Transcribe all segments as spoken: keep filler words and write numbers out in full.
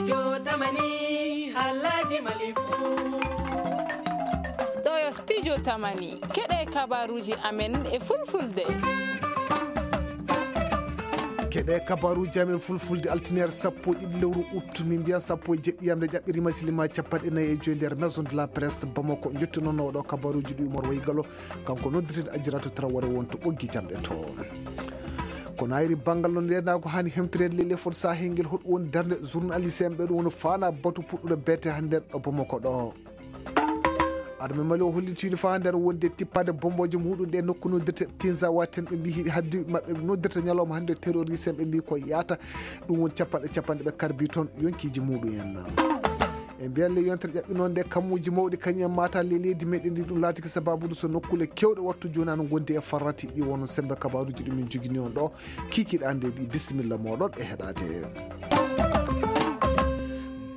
Jotamani, halaji malifu. Ɗo yo studio Tamani, keɗe kabaruji amen e fulfulde. Keɗe kabaruji amen fulfulde, altiniere sappo e ɗiɗi lewru ut, min mbiyan sappo e jeɗɗi yamde ƴaɓɓirima silima capanɗe nayi e joy nder Maison de la Presse Bamako. Jottu noon oɗo kabaruji ɗi Umar Waygalo, kanko noddirten Ajiratu Tarawore wonto ɓoggi jamɗe to. Ko naayiri banngal no ndeenaagu haani hemtireede ley lefol sahel ngel, hoɗum woni darnde journaliste en ɓe ɗum woni faana batu puɗɗuɗo beete hannde ɗo Bamako ɗo. Armée Mali o holliti faa nder wonde tippaade bombooje muuɗum ɗe nokku noddirte Tinzawaten, ɓe mbii hiɗi haddi maɓɓe noddirta ñalawma hannde terroriste en, ɓe mbii ko yaata ɗum woni capanɗe capanɗe ɓe karbi toon yonkiiji muuɗum en. E mbiyan le yontere ƴaɓɓi noon nde kammuuji mawɗi kañum en maata le leydi meɗen ndi, ɗum laatiki sababude so nokkule kewɗe wattu jooni ana ngondi e farrati ɗi wono sembe kabaruji ɗi min jogini on ɗo kikiɗande ɗi. Bisimilla moɗon e heɗade.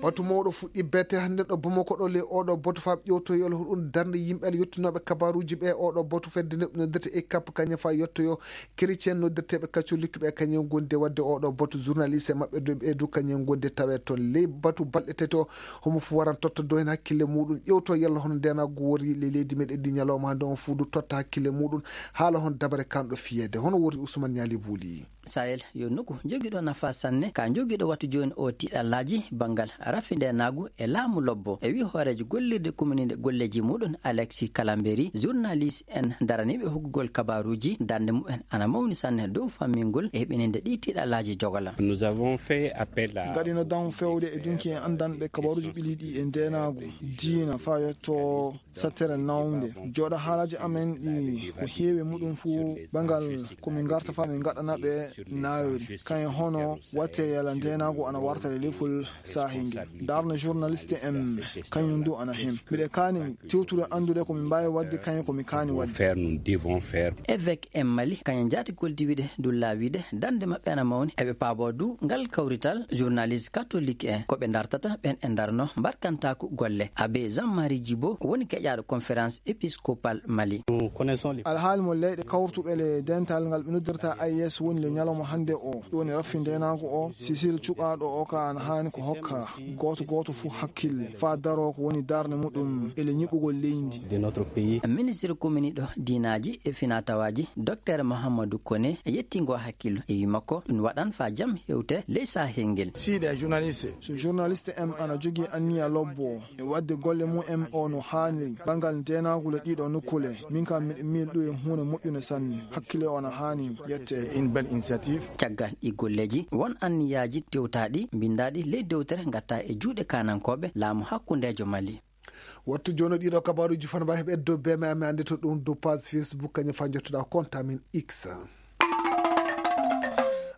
Batu mawɗo fuɗɗi bete hannde ɗo Bamako ɗo le oɗo batu faa ƴewto yol hoɗum darnde yimɓe ala yettunoɓe kabaruji ɓe oɗo batu fedde nde noddirte e kap kañum faa yettoyo Chrétien noddirteeɓe katolik ɓe kañum gonde waɗde oɗo batu journaliste maɓɓe du ɓe du kañum gonde tawe toon ley batu balɗe tati o. Homo fof waran totta do heen hakkille muuɗum ƴewto yalla hono ndenagu wori ley leydi meɗen ndi ñalawma hannde on fof du totta hakkille muuɗum haala hono dabare kanɗo fiyeede hono wori Ousmane Ñaali Buuli. Sahel yo nokku jogiiɗo nafa sanne ka jogiiɗo wattu jooni o tiɗallaaji banngal rafi ndenagu e laamu lobbo e wi hooreejo gollirde kumininde golleeji muuɗum Alexis Kalamberi journaliste en daraniiɓe hokkugol kabaruuji darnde mumen ana mawni sanne dow fammingol e heɓininde ɗii tiɗallaaji jogola. Nous avons fait appel à. Ngaɗino dam fewde e dunki en anndanɓe kabaruuji ɓiliiɗi e ndeenaagu diina faa yotto sattere nawnde jooɗa haalaaji amen ɗi ko heewi muɗum fuu ɓangal ko min ngarta faa min ngaɗana ɓe naawiri kañum hono watte yala ndeenaagu ana warta e lefol saahi ngel darna journaliste en kañum du ana heen mbiɗa kaani tewtude anndude ko min mbaawi waɗde kañum ko mi kaani waɗde. Faire nous devons faire. Évêque en Mali kañum jaati goldi wiide du laawiide darnde maɓɓe ana mawni eɓe paaboo du ngal kawrital journaliste katolik en ko ɓe dartata ɓen e darno mbarkantaaku golle abbé Jean Marie Djibo woni keƴaaɗo conférence épiscopale Mali. Alhaali mo leyɗe kawrutuɓe le dental ngal ɓe noddirta A E S woni le ñalawma hannde o ɗum woni raffi ndeenaagu o Cécile cuɓaaɗo o ka ana haani ko hokka gooto gooto fuu hakkille faa daroo ko woni darnde muɗum e le ñiɓɓugol leydi. Ministre kominiiɗo diinaaji e finaa-tawaaji Dokteer Mahamadou Koné yettii ngoo hakkillo e wii makko ɗum waɗan faa jam hewte ley sahel ngel. So journaliste en ana jogii anniya lobbo e waɗde golle mum en o no haaniri banngal ndeenaagu le ɗiiɗoo nokkuule min kam miɗo miili ɗum e huunde moƴƴunde sanne hakkille o ana haani yettee. Caggal ɗii golleeji won anniyaaji tewtaaɗi mbinndaaɗi ley dewtere ngattaa e juuɗe kaanankooɓe laamu hakkundeejo Mali. Wattu jooni ɗiiɗoo kabaaruuji fana mbaawi heɓeede dow beme amen annde to ɗum dow page Facebook kañum faa njottoɗaa compte amen X.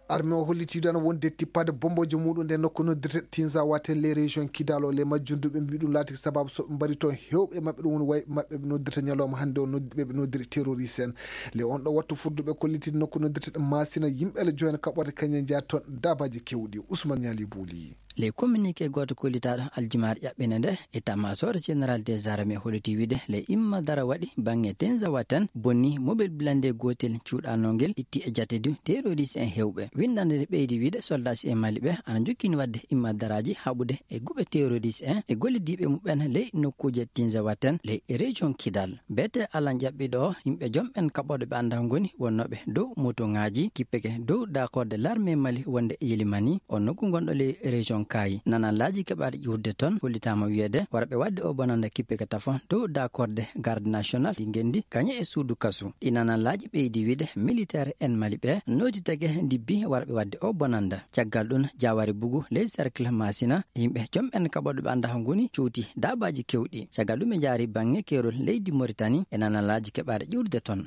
Armée o hollitii ɗo ana wonde tippaade bombooje muuɗum nde nokku noddirte Tinzawaten ley région Kidal o ley majjum du ɓe mbii ɗum laatiki sababu so ɓe mbari toon heewɓe e maɓɓe ɗum woni wayɓe maɓɓe ɓe noddirta ñalawma hannde o noddi ɓe ɓe noddiri terroriste en ley on ɗo wattu furduɓe kollitiiɗe nokku noddirte ɗe Masina yimɓe ala jooni kaɓorɗe kañum njeyaa toon daabaaji keewɗi Ousmane Ñaali Buuli. Ley communiqué gooto kollitaaɗo aljumaare ƴaɓɓinde nde, état-major général des armées hollitii wiide ley imma dara waɗi baŋŋe Tenzawaten bonnii mobel blindé gootel cuuɗaanongel itti e jate du terroriste en heewɓe. Winndannde nde ɓeydi wiide soldaaji en Mali ɓe ana njokkini waɗde imma daraaji haɓude e guɓe terroriste en e gollidiiɓe muɓɓen ley nokkuuje Tenzawaten ley région Kidal. Beetee alan ƴaɓɓiiɗo o, yimɓe jom ɓen kaɓorɗe ɓe anndaa ngoni wonnooɓe dow motoŋaaji kippeke dow daakorde larmee Mali wonnde e Yelimani, on nokku ngonɗo ley région Kaayi. Nanallaaji keɓaaɗi ƴuurde ton hollitaama wiyeede warɓe waɗde oo bonannda kippeke tafon dow daakorde garde national ɗi ngenndi kañe e suudu kasu. Ɗii nanallaaji ɓeydi wiide militeer en Mali ɓe nootitake ndibbi warɓe waɗde oo bonannda. Caggal ɗun, Jaawaari Bugu ley cercle Maasina, yimɓe jom ɓen kaɓorɗe ɓe anndaa ngoni cowtii daabaaji keewɗi. Caggal ɗun ɓe njaari baŋŋe keerol leydi Moritani e nanallaaji keɓaaɗe ƴuurde ton.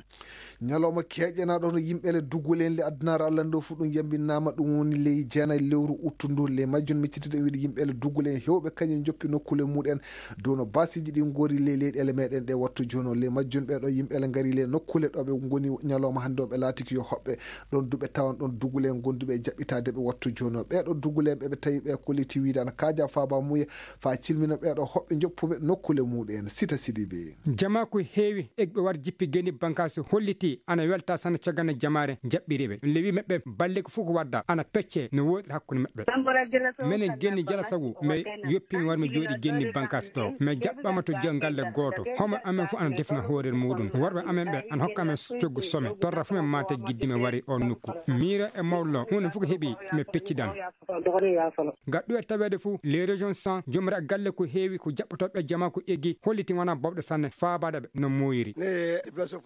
Ñalawma keeƴanaaɗo hono yimɓe le duggulen le addunaare Alla ndo fuu ɗun yambinaama ɗun woni ley jeenay lewru uttu ndu. Ley majjun miccitiɗen wiide yimɓe le duggulen heewɓe kañun njoppi nokkuule muɗen dow no baasiiji ɗin ngori ley leyɗeele meɗen ɗe wattu jooni o. Ley majjun ɓee ɗoo yimɓe le ngari ley nokkuule ɗo ɓe ngoni ñalawma hannde o ɓe laatiki yo hoɓɓe ɗon du ɓe tawan ɗon duggulen gonduɓe e jaɓɓitaade ɓe wattu jooni o. Ɓee ɗoo duggulen ɓe ɓe tawi ɓe kolliti wiide ana kaaja faaba muuye faa cilmina ɓee ɗoo hoɓɓe njoppuɓe nokkuule muɗen. Sita Sidibe. Jamaaku heewi egɓe war jippi geni bankaasi hollitii ana weltaa sanne caggal no jamaare jaɓɓiri ɓe. Ɗun le wii maɓɓe balle ko fof ko waddaa ana peccee no wooɗiri hakkunde maɓɓe. Minen genni jalasagu, mi yoppii mi wari mi jooɗii genni bankas ɗoo. Mi jaɓɓaama to jam galle gooto. Homo amen fof ana defna hoore muuɗum. Worɓe amen ɓe ana hokka amen coggu some. Torra fof men maate giddi mi wari oon nokku. Miiro e mawlo, huunde fof ko heɓi, mi peccidan. Ga ɗum e taweede fof, les régions sans, jomre galle ko heewi, ko jaɓɓotooɓe jamaa ko eggi, hollitii wonaa bawɗe sanne, faabaade ɓe no moyiri.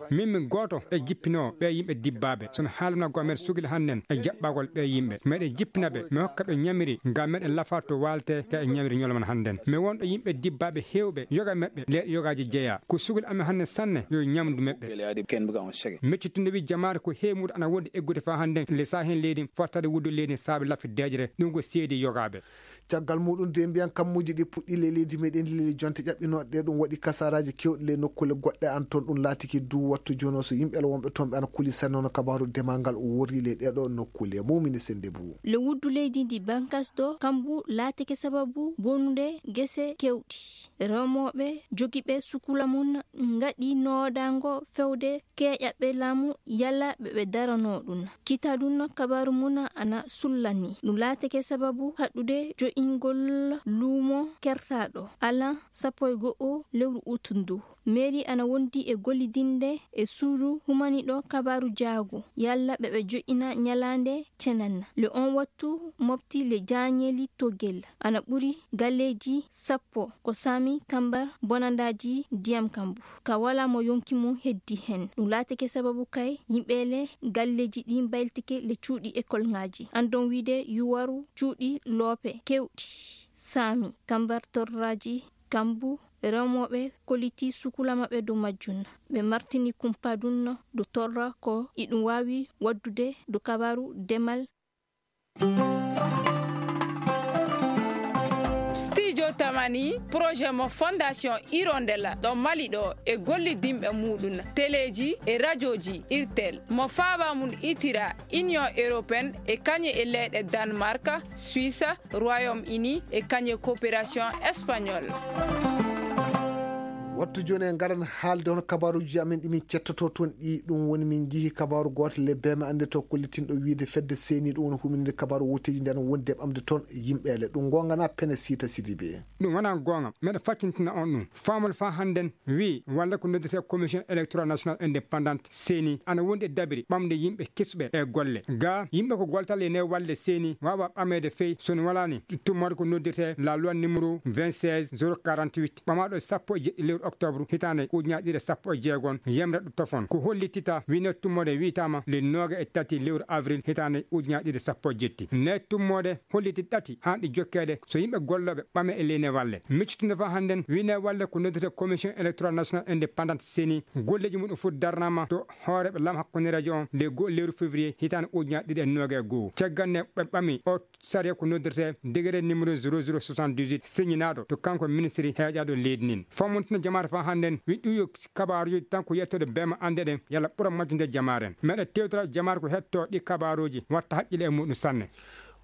Min min gooto e jippinoowo ɓee yimɓe dibbaaɓe. Sono haalana goo meɗe sugila hannden e jaɓɓagol ɓee yimɓe. Meɗe jippina ɓe, mi hokka ɓe ñamiri, ngam meɗe lafa to waalte ka e ñamiri ñolman hannden. Mi wonɗo yimɓe dibbaaɓe heewɓe, yoga meɓɓe, leeɗe yogaaji jeyaa. Ko sugila amen hannden sanne, yo ñamdu meɓɓe. Meccitunde wi jamaare ko heewi muuɗum ana wondi eggude faa hannden, le saa heen leydi, fottade wuddu leydi saabe laffi deeƴre, ɗum ko seedi yogaaɓe. Caggal muuɗum de mbiyan kammuuji ɗi puɗɗii ley leydi meɗen, ley jonte ƴaɓɓinooɗe ɗe, ɗum waɗi kasaaraaji keewɗi ley nokkuule goɗɗe an toon. Ɗum laatiki duu wattu jooni o so yimɓe wonɓe toon ɓe ana kulii sanne hono kabaaru demal ngal o worri ley ɗee ɗoo nokkuule. Mumini Sennde Buu. Le wuddu leydi ndi bankas ɗoo, kambu laatike sababu bonude gese keewɗi. Remooɓe jogiiɓe sukula mum ngaɗi noodaango fewde keeƴaɓe laamu yalla ɓe ɓe daranoo ɗum. Kitaa ɗum kabaaru mum ana sullani. Ɗum laatike sababu haɗude jo'ingol luumo kertaaɗo alan sappo e go'o lewru ut ndu. Meeri ana wondi e gollidinde e suudu humaniiɗo kabaaru jaago yalla ɓe ɓe jo'ina ñalaande cenanna. Le on wattu mofti le jaañeeli togel ana ɓuri galleeji sappo ko saami kambar bonandaaji ndiyam kambu. Ka walaa mo yonki mum heddi hen. Ɗum laatike sababu kay yimɓe le galleeji ɗi mbayltike le cuuɗi ekolŋaaji. Andon wiide yuwaru cuuɗi loope keewɗi saami kambar torraaji kambu. Remooɓe kollitii sukula maɓɓe dow majjum. Ɓe martini kumpa ɗum dow torra ko iɗum waawi waɗdude dow kabaaru demal. Studio Tamani, projet mo Fondation Hirondelle ɗo Mali ɗo e gollidinɓe muuɗum, teleeji e rajooji Irtel, mo faaba mum itira Union Européenne e kañe e leyɗe Danemark, Suisse, Royaume-Uni e kañe coopération espagnole. Wattu jooni en ngaran haalde hono kabaaruuji amen ɗi min cettotoo toon ɗi. Ɗum woni min njihii kabaaru gooto le beeme annde to kollitinɗo wiide fedde seeni ɗum woni humininde kabaaru wooteeji nde ana wondi e ɓamde toon yimɓeele. Ɗum ngoonga naa pene Siita Sidibe? Ɗum wonaa goonga. Meɗa faccintina on ɗum. Faamol faa hannden wii walla ko noddirtee Commission Électorale Nationale Indépendante, seeni, ana wondi e dabiri ɓamde yimɓe kesuɓe e golle. Gaa, yimɓe ko goltal e nder walde seeni waawa ɓameede fey so no walaani tummoode ko noddirtee la loi numéro vingt-seize zéro quarante-huit, ɓamaaɗo e sappo e jeɗɗi lewru oktoobre hitaande ujunaaji ɗiɗi e sappo e jeego, yemre ɗo tofon. Ko hollitita wii nder tummoode wiitaama le nooga e tati lewru avril hitaande ujunaaji ɗiɗi e sappo e jeɗɗi. Nder tummoode holliti ɗati haanɗi jokkeede so yimɓe gollooɓe ɓame e ley ne walle. Miccitunde faa hannden, wii ne walle ko noddirtee Commission Électorale Nationale Indépendante, seeni, golleeji mum ɗum fof darnaama to hooreeɓe laamu hakkundeereejo on le goo lewru février hitaande ujunaaji ɗiɗi e nooga e goo. Caggal nde ɓe ɓami o sariya ko noddirtee décret numéro zéro zéro soixante-dix-huit, siñinaaɗo to kanko ministiri heeƴaaɗo leydi ndin. Fammuntina jamaare faa hannden, wii ɗum yo kabaaruuji tan ko yettoode beema annde ɗen, yalla ɓura majjude jamaare. Meɗa tewtira jamaare ko hettoo ɗi kabaaruuji, watta haqqille e muuɗum sanne.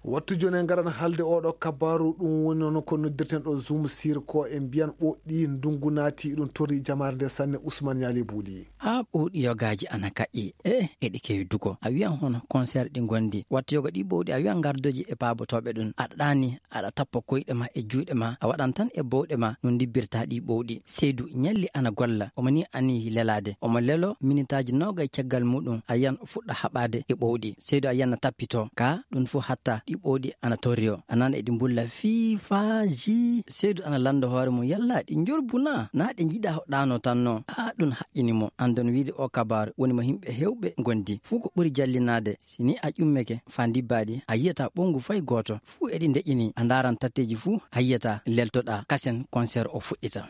Wattu jooni en ngaran haalde oo ɗoo kabaaru, ɗum woni noon ko noddirten ɗoo Zoom sir ko e mbiyan ɓooɗi ndunngu naati, ɗum torri jamaare nde sanne. Usman Ñaali Buuli. Haa ɓooɗi yogaaji ana kaƴƴi, e eɗi keewi dugo. A wiyan hono concert ɗi ngondi. Wattu yoga ɗi ɓooɗi, a wiyan ngardoji e paabotooɓe ɗum. Aɗa ɗaani, aɗa tappa koyɗe ma e juuɗe ma, a waɗan tan e bowɗe ma no ndibbirta ɗi ɓooɗi. Seydu ñalli ana golla, omo ni ani lelaade. Omo lelo minitaaji noogay caggal muuɗum, a yiyan o fuɗɗa haɓaade e ɓowɗi. Seydu a yiyan na tappitoo, kaa ɗum fof hatta ɗi ɓowɗi ana torri o. A nana eɗi mbulla fii faa jii. Seydu ana lannda hoore mum, yalla ɗi njorbu naa? Naa ɗe njiɗaa hoɗaano tan non? Aa, ɗum haƴƴini mo. Andon wiide oo kabaaru woni mo yimɓe heewɓe ngondi. Fuu ko ɓuri jallinaade, si ni a ƴummeke faa ndibbaa ɗi, a yiyataa ɓowngu fay gooto. Fuu eɗi ndeƴƴini, a ndaaran tatteeji fuu, a yiyataa, leltoɗaa, kasen concert o fuɗɗita.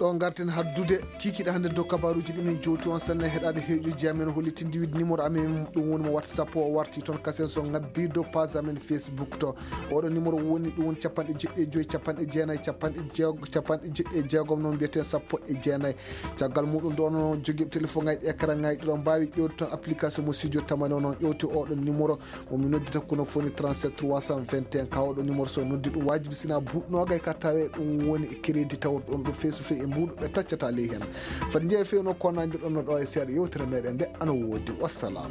Ɗo ngarten haddude kiikiiɗe hannde dow kabaaruuji ɗi min jowti on sanne heɗaade heeƴooji amen hollitinde wiide numéro amen ɗum woni mo WhatsApp o warti toon kasen so ngabbii dow page amen Facebook to. Oɗo numéro woni ɗum woni capanɗe jeɗɗi e joy, capanɗe jeenayi, capanɗe jeego, capanɗe jeɗɗi e jeegom noon mbiyeten sappo e jeenayi. Caggal muuɗum ɗo noon jogiiɓe téléphone ŋaaji ɗi écran ŋaaji ɗi ɗo mbaawi ƴeewde toon application mo Studio Tamani o noon ƴeewti oɗo numéro. Mo mi noddita kono foni trente-sept trois cent vingt et un, ka oɗo numéro so noddi ɗum waajibi sina buuɗi noogay ka tawe ɗum woni crédit tawruɗo ɗum feesu fey e mbuuɗu ɓe taccata ley hen. Fadi njeeya fewno ko nandirɗon no ɗo e seeɗa yewtere meɗen nde ana woodi. Wassalam.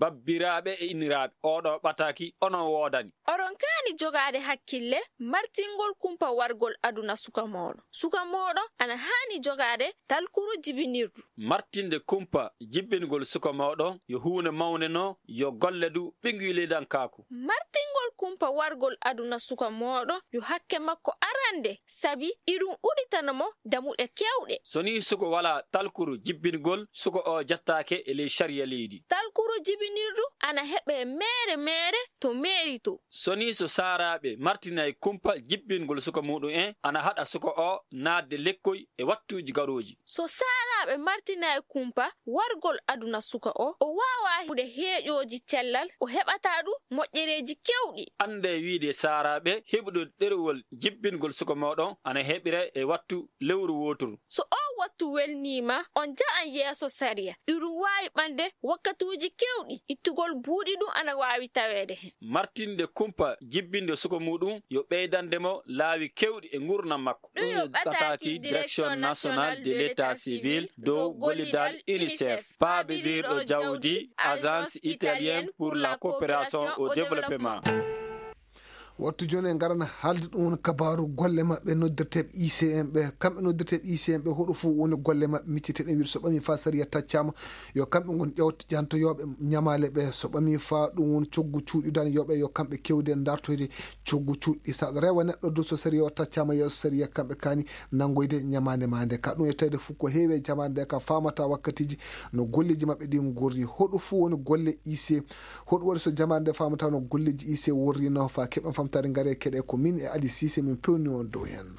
Babbiraaɓe e inniraaɓe, oo ɗoo ɓataaki onon woodani. Oɗon kaani jogaade hakkille martingol kumpa wargol aduna suka mooɗon. Suka mooɗon ana haani jogaade talkuru jibinirdu. Martinde kumpa jibbingol suka mooɗon yo huunde mawnde no yo golle du ɓiyngulidankaaku. Martingol kumpa wargol aduna suka mooɗon yo hakke makko arannde, sabi iɗum udditana mo damuɗe keewɗe. So nii suka walaa talkuru jibbingol, suka oo jattaake e ley sariya leydi. Talkuru jibinirdu ana heɓee meere meere to meeri to. So nii so saaraaɓe martinay kumpa jibbingol suka muuɗum en, ana haɗa suka oo naatde lekkoy e wattuuji garooji. So saaraaɓe martinay kumpa wargol aduna suka oo, o waawaa heɓude heeƴooji cellal, o heɓataa du moƴƴereeji keewɗi. Anndee wiide saaraaɓe heɓude ɗerewol jibbingol suka mooɗon ana heɓiree e wattu lewru wooturu. So oo wattu welniima, on njahan yeeso sariya. Iɗum waawi ɓande wakkatuuji keewɗi, ittugol buuɗi ɗum ana waawi taweede hen. Martinde kumpa jibbinde suka muuɗum yo ɓeydande mo laawi keewɗi e nguurndam makko. Ɗum yo ɓataaki Direction Nationale de l'État Civil dow gollidal UNICEF, paabindirɗo jawdi Agence Italienne pour la Coopération au Développement. Wattu jooni en ngarana haalde ɗum woni kabaaru golle maɓɓe noddirteeɓe I C M ɓe. Kamɓe noddirteeɓe I C M ɓe, hoɗo fof woni golle maɓɓe, micceteeɗen wiide so ɓamii faa sariya taccaama, yo kamɓe ngon ƴewto-, ƴantoyooɓe ñamaale ɓe. So ɓamii faa ɗum woni coggu cuuɗi daniyooɓe, yo kamɓe keewde ndartoyde coggu cuuɗi. So aɗa rewa neɗɗo du, so sariya o taccaama yeeso sariya, kamɓe kaani nanngoyde ñamaande maa nde. Ka ɗum e tawde fof ko heewi e jamaande nde, ka faamata wakkatiiji no golleeji maɓɓe ɗi ngorri. Hoɗo fof woni golle I C M. Hoɗum waɗi so jamaande nde faamata no golleeji I C M worri no? Faa keɓen faamtaare, ngaree keɗee ko min e Ali Siise min pewni on dow hen.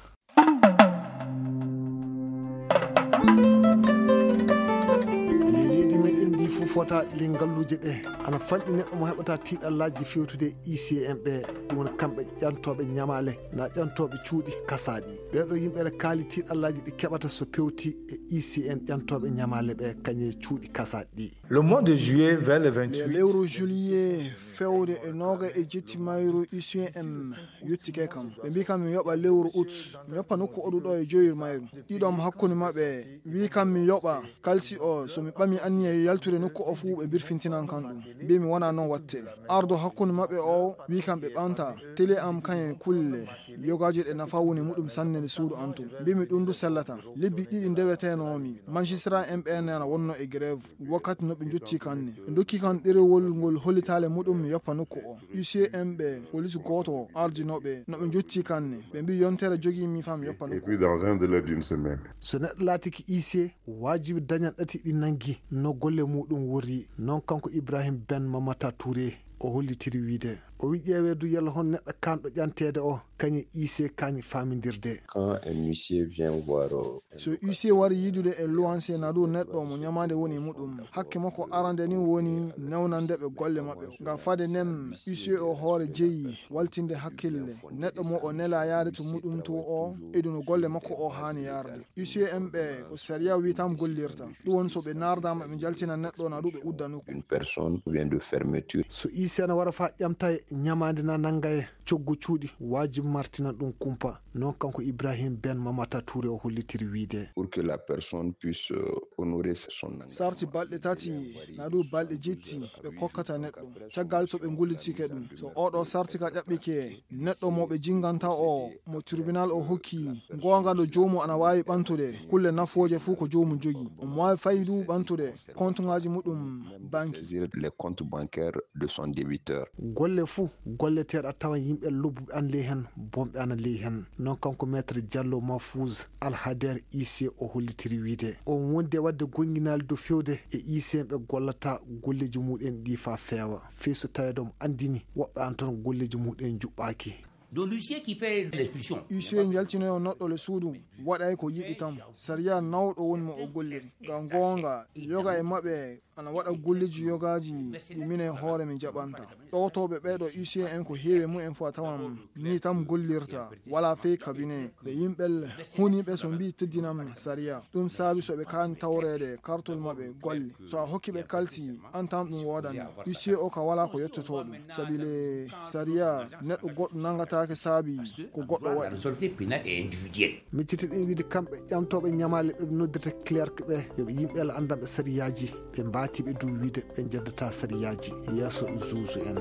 Ley leydi meɗen ndi fof fota ley ngalluuje ɗe. Ana fanɗi neɗɗo mo heɓata tiiɗallaaji fewtude e I C M ɓe. Ɗum woni kamɓe ƴantooɓe ñamaale, na ƴantooɓe cuuɗi kasaaɗi. Ɓee ɗoo yimɓe ene kaali tiiɗallaaji ɗi keɓata so pewti e I C M ƴantooɓe ñamaale ɓe kañe cuuɗi kasaaɗi ɗi. Le mois de juillet vers le vingt-huit. Lewru juillet fewde e noogay e jetti mayru, I C M yottike kam. Ɓe mbii kam mi yoɓa lewru ut, mi yoppa nokku oɗu ɗo e joyir mayru. Ɗiɗo am hakkunde maɓɓe wii kam mi yoɓa kalsi o, so mi ɓami anniya yaltude nokku o fuu, ɓe birfintinan kam ɗum. Mbii mi wonaa non watte. Ardo hakkunde maɓɓe o wii kam ɓe ɓanta tele am kañe kulle yogaaji ɗe nafa woni muɗum sanne nde suudu an tun. Mbii mi ɗum du sellata. Lebbi ɗiɗi ndeweteenoomi, magistrat en ɓeen ana wonno e grève. Wakkati no ɓe njottii kan ne, ɓe ndokki kan ɗerewol ngol hollitaale muɗum mi yoppa nokku o. U C M ɓe, polis gooto o ardinoo ɓe no ɓe njottii kan ne. Ɓe mbii yontere jogii mi faa mi yoppa nokku o. Et puis dans un délai d'une semaine. So neɗɗo laatike I C, waajibi dañan ɗati ɗi nanngi no golle muuɗum worri. Non kanko Ibrahim Ben Mamata Touré o hollitiri wiide. O wii ƴeewee du yalla hon neɗɗo kaanɗo ƴanteede o, kañe I C kaani faamindirde. Quand un huissier vient voir, euh, un... So huissier wari yiidude e luwanse na du neɗɗo mo ñamaande woni e muɗum, hakke makko arande ni woni newnande ɓe golle maɓɓe. Ngam fade nden, huissier o hoore jeyi waltinde hakkille neɗɗo mo o nelaa yaade to muɗum to o, e du no golle makko o haani yaarde. U C M ɓe ko sariya wii tan gollirta. Ɗum woni so ɓe naardaama ɓe njaltina neɗɗo na du ɓe udda nokku. Une personne ou bien de fermeture. So I C na wara faa ƴamta e ñamaande na nannga e coggu cuuɗi, waajibi martinan ɗum kumpa. Non kanko Ibrahim Ben Mamata Touré o hollitiri wiide. Pour que la personne puisse, euh, honorer son engagement. Sarti balɗe tati na du balɗe jetti ɓe kokkata neɗɗo. Caggal so ɓe ngullitike ɗum. So oɗo sarti ka ƴaɓɓike, neɗɗo mo ɓe jinganta o, mo tribunal o hokki goonga no joomum ana waawi ɓantude kulle nafooje fuu ko joomum jogii. Omo waawi faydu ɓantude kontuŋaaji muɗum banki. Saisir les comptes bancaires de son débiteur. Golle fuu golleteeɗo a tawan yimɓe lobbuɓe ana ley hen, bonɓe ana ley hen. Non kanko Maître Diallo Mahfouz Alhader I C o hollitiri wiide. On wondi e waɗde gonnginaali dow fewde e I C ɓe gollata golleeji muɗen ɗi faa feewa. Fii so taweede omo anndini woɓɓe ana ton golleeji muɗen njuɓɓaaki. Donc l'huissier qui fait l'expulsion. Huissier njaltinoyo neɗɗo le suudu waɗay ko yiɗi tan. Sariya nawɗo woni mo o golliri. Ngam goonga, yoga e maɓɓe ana waɗa golleeji yogaaji ɗi minen hoore min jaɓanta. Ɗowtooɓe ɓee ɗoo huissier en ko heewi e mumen fof a tawan nii tan gollirta. Walaa fey cabinet. Ɓe yimɓe huniiɓe so mbii teddinam sariya. Ɗum saabi so ɓe kaani tawreede kartol maɓɓe golle. So a hokki ɓe kalsi, an tan ɗum woodani. Huissier o ka walaa ko yettotoo ɗum. Sabi le sariya, neɗɗo goɗɗo nanngataake saabi ko goɗɗo waɗi. Miccitiiɗen wiide kamɓe ƴamtooɓe ñamaale ɓe noddirta clerc ɓe, yo ɓe yimɓe Alla anndanɓe sariyaaji, ɓe mbaawi Ati ɓe duu wiide ɓe njeddataa sariyaaji yeeso zuuzu en.